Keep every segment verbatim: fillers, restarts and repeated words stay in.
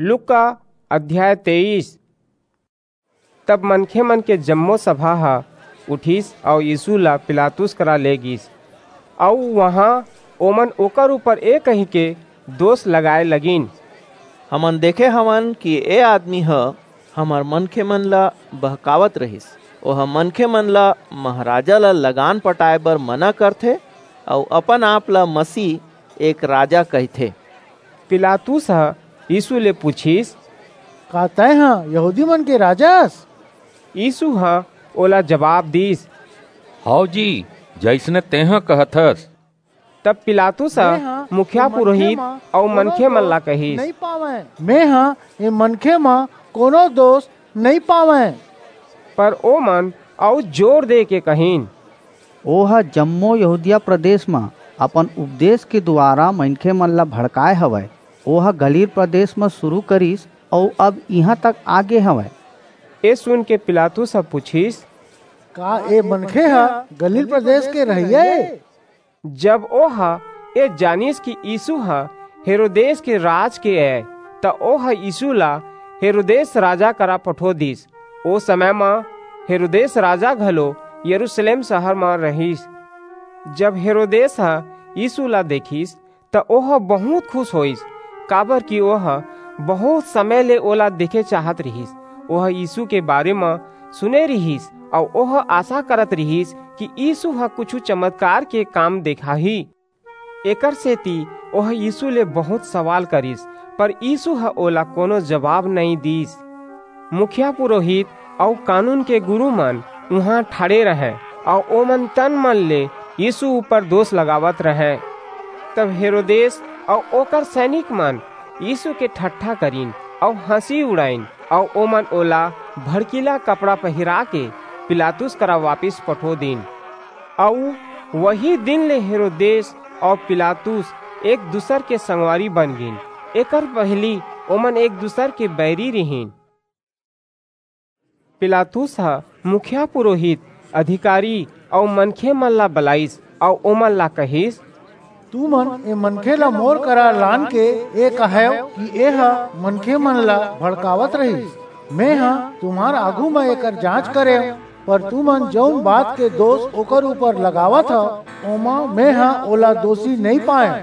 लूका अध्याय तेईस। तब मनखे मन के जम्मो सभा ह उठिस अऊ यीसू ला पिलातुस करा ले गीस, अऊ उहां ओमन ओकर ऊपर ए कहिके दोस लगाय लगिन, "हमन देखे हवन कि ए आदमी ह हमर मनखे मन ला बहकावत रहिस। ओह मनखे मन ला महाराजा ला लगान पटाय बर मना करथे अऊ अपन आप ला मसीह, एक राजा कहिथे।" पिलातुस ह यीसू ले पुछिस, "का तैं ह यहूदी मन के राजा अस?" यीसू ह ओला जबाब दीस, "हव जी, जइसने तेंह कहत हस।" तब पिलातुस ह मुखिया पुरोहित अऊ मनखे मन ला कहिस, "मेंह ए मनखे म कोनो दोस नइं पावंव।" पर ओमन अऊ जोर देके कहिन, "ओह जम्मो यहूदिया प्रदेस म अपन उपदेस के दुवारा मनखे मन ला भड़काय हवय। ओह गलील प्रदेस म सुरू करिस अऊ अब इहां तक आ गे हवय।" ए सुनके पिलातुस ह पुछिस, "का ए मनखे ह गलील प्रदेस के रहइया ए?" जब ओह ए जानिस कि यीसू ह हेरोदेस के राज के अय, त ओह यीसू ला हेरोदेस राजा करा पठो दीस। ओ समय म हेरोदेस राजा घलो यरूसलेम सहर म रहिस। जब हेरोदेस ह यीसू ला देखिस, त ओह बहुंत खुस होईस, काबरकि ओह बहुंत समय ले ओला देखे चाहत रिहिस। ओह यीसू के बारे म सुने रिहिस अऊ ओह आसा करत रिहिस कि यीसू ह कुछू चमतकार के काम देखाही। एकरसेति ओह यीसू ले बहुंत सवाल करिस, पर यीसू ह ओला कोनो जबाब नइं दीस। मुखिया पुरोहित अऊ कानून के गुरू मन उहां ठाढ़े रहंय अऊ ओमन तन-मन ले यीसू ऊपर दोस लगावत रहंय। तब हेरोदेस अऊ ओकर सैनिक मन यीसू के ठट्ठा करिन अऊ हंसी उड़ाईन अऊ ओमन ओला भड़कीला कपड़ा पहिराके पिलातुस करा वापिस पठो दीन। अऊ वही दिन ले हेरोदेस अऊ पिलातुस एक-दूसर के संगवारी बन गीन। एकर पहिली ओमन एक-दूसर के बैरी रिहिन। पिलातुस ह मुखिया पुरोहित, अधिकारी अऊ मनखे मन ला बलाईस अऊ ओमन ला कहिस, "तुमन ए मनखे ला मोर करा लानके ए कहव कि एह मनखे मन ला भड़कावत रहिस। मेंह तुम्हर आघू म एकर जांच करेंव, पर तुमन जऊन बात के दोस ओकर ऊपर लगावत हव, ओमा मेंह ओला दोसी नइं पायेंव।"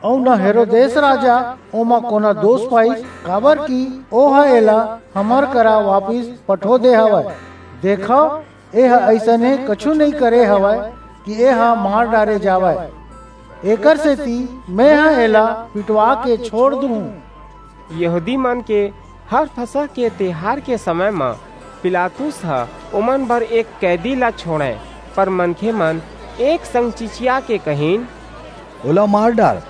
अऊ न हेरोदेस राजा ओमा कोनो दोस पाईस, काबरकि ओह एला हमर करा वापिस पठो दे हवय। देखव, एह अइसने कछू नइं करे हवय कि एह मार डारे जावय। एकरसेति मेंह एला पिटवाके छोंड़ दूहूं। यहूदी मन के हर फसह के तिहार के समय म पिलातुस ह ओमन बर एक कैदी ला छोंड़य, पर मनखे मन एक संग चिचियाके कहिन, "ओला मार डार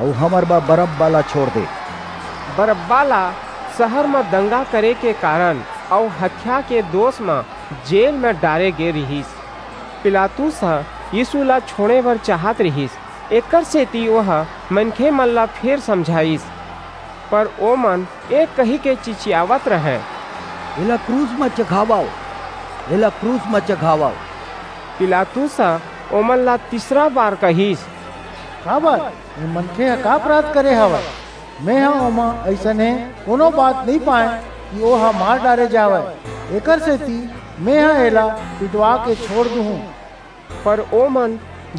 अऊ हमर बर बरअब्बा ला छोंड़ दे।" बरअब्बा ला सहर म दंगा करे के कारन अऊ हत्या के दोस म जेल म डारे गे रिहिस। पिलातुस ह यीसू ला छोंड़े बर चाहत रिहिस, एकरसेति ओह मनखे मन ला फेर समझाईस। पर ओमन ए कहिके चिचियावत रहंय, "एला क्रूस म चघावव, एला क्रूस म चघावव।" पिलातुस ह ओमन ला तीसरा बार कहिस, "काबर? ए मनखे ह का अपराध करे हवय? मेंह ओमा अइसने कोनो बात नइं पायेंव कि ओह मार डारे जावय। एकरसेति मेंह एला पिटवाके छोंड़ दूहूं।" पर ओमन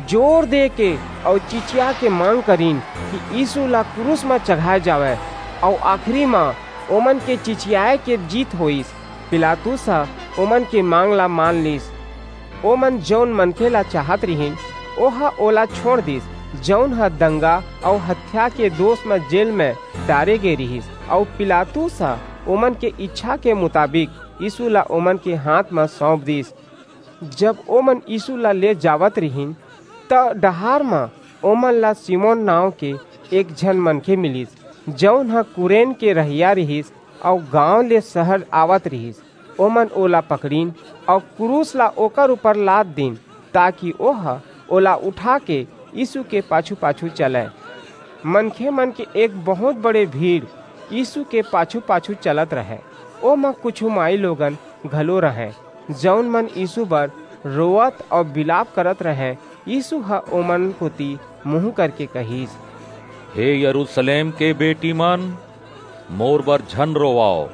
जोर देके अऊ चिचियाके मांग करिन कि यीसू ला क्रूस म चघाय जावय, अऊ आखिरी म ओमन के चिचियाय के जीत होईस। पिलातुस ह ओमन के मांग ला मान लीस। ओमन जऊन मनखे ला चाहत रिहिन, ओह ओला छोंड़ दीस, जऊन ह दंगा अऊ हत्या के दोस म जेल म डारे गे रिहिस, अऊ पिलातुस ह ओमन के ईछा के मुताबिक यीसू ला ओमन के हांथ म सऊंप दीस। जब ओमन यीसू ला ले जावत रिहिन, त डहार म ओमन ला सिमोन नांव के एक झन मनखे मिलिस, जऊन ह कुरेन के रहइया रिहिस अऊ गांव ले सहर आवत रिहिस। ओमन ओला पकड़िन अऊ क्रूस ला ओकर ऊपर लाद दीन, ताकि ओह ओला उठाके यीसू के पाछू-पाछू चलय। मनखे मन के एक बहुंत बड़े भीड़ यीसू के पाछू-पाछू चलत रहय। ओमा कुछू माईलोगन घलो रहंय, जऊन मन यीसू बर रोवत अऊ बिलाप करत रहंय। यीसू ह ओमन कोति मुहूं करके कहिस, "हे यरूसलेम के बेटी मन, मोर बर झन रोवाव,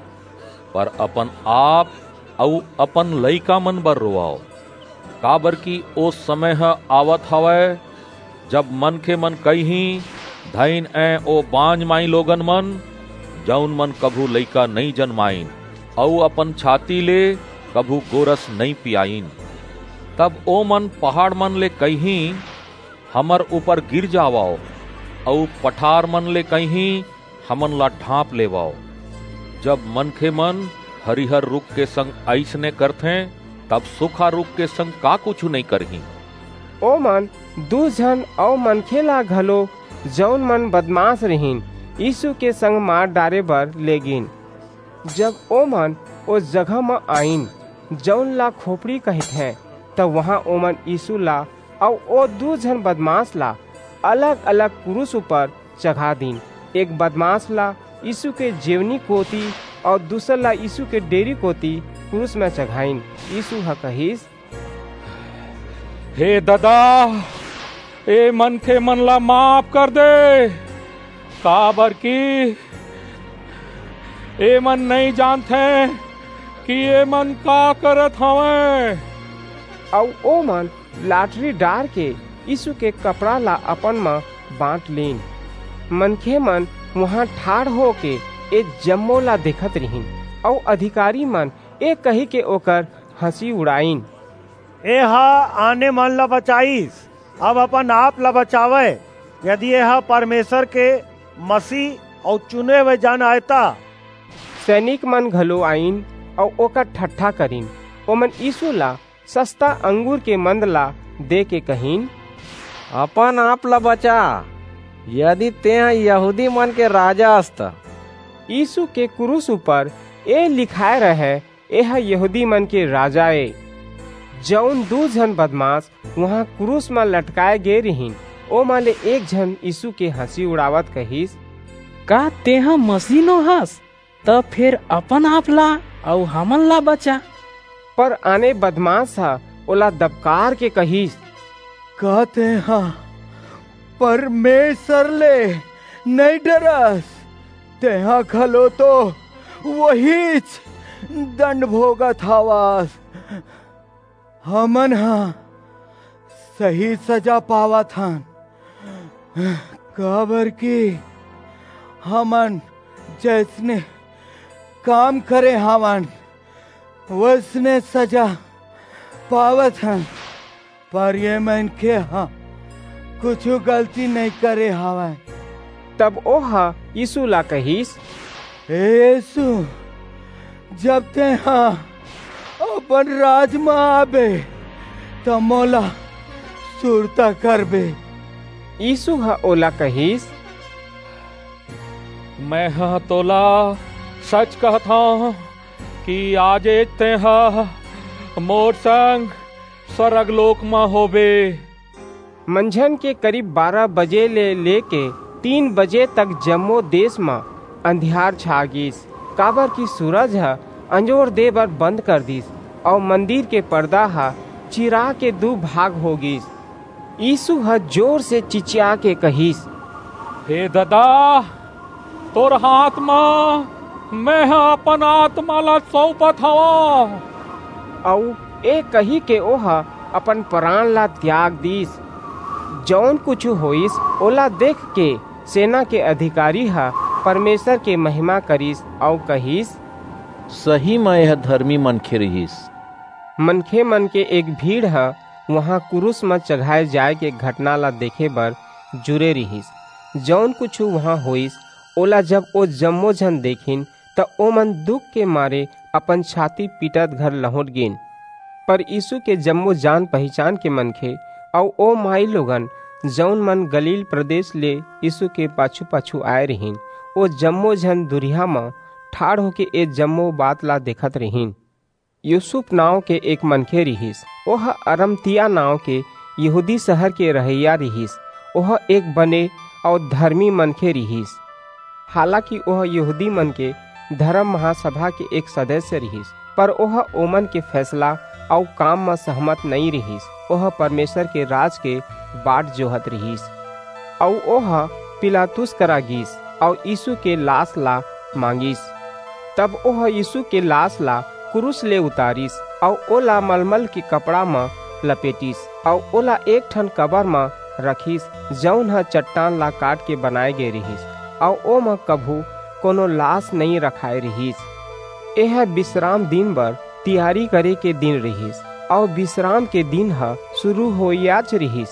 पर अपन आप अऊ अपन लइका मन बर रोवाव, काबर कि ओ समय ह आवत हवय, जब मनखे मन कहिहीं, "धइन ए ओ बांझ माई लोगन मन, जऊन मन कभू लइका नइं जनमाइन, अऊ अपन छाती ले कभू गोरस नइं पियाइन।" तब ओ मन पहाड़ मन ले कहिहीं, "हमर ऊपर गिर जावव," अऊ पठार मन ले कहिहीं, "हमन ला ढांप लेवव।" जब मनखे मन हरिहर रुख के संग अइसने करथें, तब सूखा रुख के संग का कुछू नइं करहीं? ओमन दू झन अऊ मनखे ला घलो, जऊन मन बदमाश रिहिन, यीसू के संग मार डारे बर लेगिन। जब ओमन ओ जगह म आईन, जऊन ला खोपड़ी कहिथें, त उहां ओमन यीसू ला अऊ ओ दू झन बदमाश ला अलग-अलग कुरूस ऊपर चघा दीन। एक बदमाश ला यीसू के जेवनी कोति अऊ दूसर ला यीसू के डेरी कोति कुरूस म चघाईन। यीसू ह कहिस, "हे ददा, ए मनखे मन ला माफ कर दे, काबर कि एमन नइं जानथें कि एमन का करत हवंय।" अऊ ओमन लाटरी डार के यीसू के कपड़ा ला अपन म बांट लीन। मनखे मन उहां ठाढ़ होके ए जम्मो ला देखत रिहिन, अऊ अधिकारी मन ए कहिके ओकर हंसी उड़ाईन, "एह आने मन ला बचाईस, अब अपन आप ला बचावय, यदि एह परमेसर के मसीह अऊ चुने हुए जन आय त।" सैनिक मन घलो आईन अऊ ओकर ठट्ठा करिन। ओमन यीसू ला सस्ता अंगूर के मंद ला देके कहिन, "अपन आप ला बचा, यदि तेंह यहूदी मन के राजा अस त।" यीसू के कुरूस ऊपर ए लिखाय रहय, "एह यहूदी मन के राजा ए।" जऊन दू झन बदमाश उहां कुरूस म लटकाय गे रिहिन, ओमा ले एक झन यीसू के हंसी उड़ावत कहिस, "का तेंह मसीह नो हस? त फेर अपन आप ला अऊ हमन ला बचा।" पर आने बदमाश ह ओला दबकार के कहिस, "का तेंह परमेसर ले नइं डरस? तेंह घलो तो ओहीच दंड भोगत हवस। हमन ह सही सजा पावत हन, काबर कि हमन जइसने काम करे हवन, वइसने सजा पावत हन, पर ए मनखे ह कुछू गलती नइं करे हवय।" तब ओह यीसू ला कहिस, "हे यीसू, जब तेंह अपन राज म आबे, त मोला सुरता करबे।" यीसू ह ओला कहिस, "मेंह तोला सच कहत हंव कि आजेच तेंह मोर संग स्वरग लोक म होबे।" मंझन के करीब बारह बजे ले लेके तीन बजे तक जम्मो देस म अंधियार छा गीस, काबर कि सूरज ह अंजोर दे बर बंद कर दीस, अऊ मंदिर के परदा ह चिरा के दू भाग हो गीस। यीसू ह जोर से चिचिया के कहिस, "हे ददा, तोर हाथ म मेंह अपन आतमा ला सऊंपत हवंव।" अऊ ए कहिके ओह अपन परान ला त्याग दीस। जऊन कुछू होईस, ओला देखके सेना के अधिकारी ह परमेसर के महिमा करिस अऊ कहिस, "सही म एह धरमी मनखे रिहिस।" मनखे मन के एक भीड़ ह उहां कुरूस म चघाय जाय के घटना ला देखे बर जुरे रिहिस। जऊन कुछू उहां होईस, ओला जब ओ जम्मो झन देखिन, त ओमन दुख के मारे अपन छाती पीटत घर लहुंट गीन। पर यीसू के जम्मो जान-पहिचान के मनखे अऊ ओ माईलोगन, जऊन मन गलील प्रदेस ले यीसू के पाछू-पाछू आय रिहिन, ओ जम्मो झन दूरिहा म ठाढ़ होके ए जम्मो बात ला देखत रिहिन। यूसुफ नांव के एक मनखे रिहिस। ओह अरमतिया नांव के यहूदी सहर के रहइया रिहिस। ओह एक बने अऊ धरमी मनखे रिहिस। हालाकि ओह यहूदी मन के धरम महासभा के एक सदस्य रिहिस, पर ओह ओमन के फैसला अऊ काम म सहमत नइं रिहिस। ओह परमेसर के राज के बाट जोहत रिहिस। अऊ ओह पिलातुस करा गीस, अऊ यीसू के लास ला मांगिस। तब ओह यीशु के लाश ला क्रूस ले उतारिस, अऊ ओला मलमल के कपड़ा म लपेटिस, अऊ ओला एक ठन कबर म रखिस, जऊन ह चट्टान ला काट के बनाए गे रिहिस, अऊ ओमा कभू कोनो लाश नइं रखाए रिहिस। एह बिसराम दिन बर तियारी करे के दिन रिहिस, अऊ बिसराम के दिन ह सुरू होइयाच रिहिस।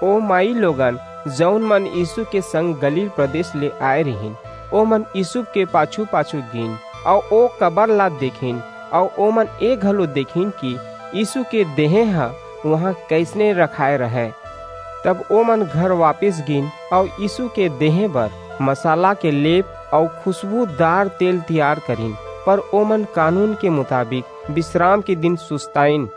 ओ माईलोगन, जऊन मन यीसू के संग गलील प्रदेस ले आय रिहिन, ओमन यीसू के पाछू-पाछू गीन, अऊ ओ कबर ला देखिन, अऊ ओमन ए घलो देखिन कि यीसू के देहें ह उहां कइसने रखाय रहय। तब ओमन घर वापिस गीन, अऊ यीसू के देहें बर मसाला के लेप अऊ खुसबूदार तेल तियार करिन, पर ओमन कानून के मुताबिक बिसराम के दिन सुस्ताईन।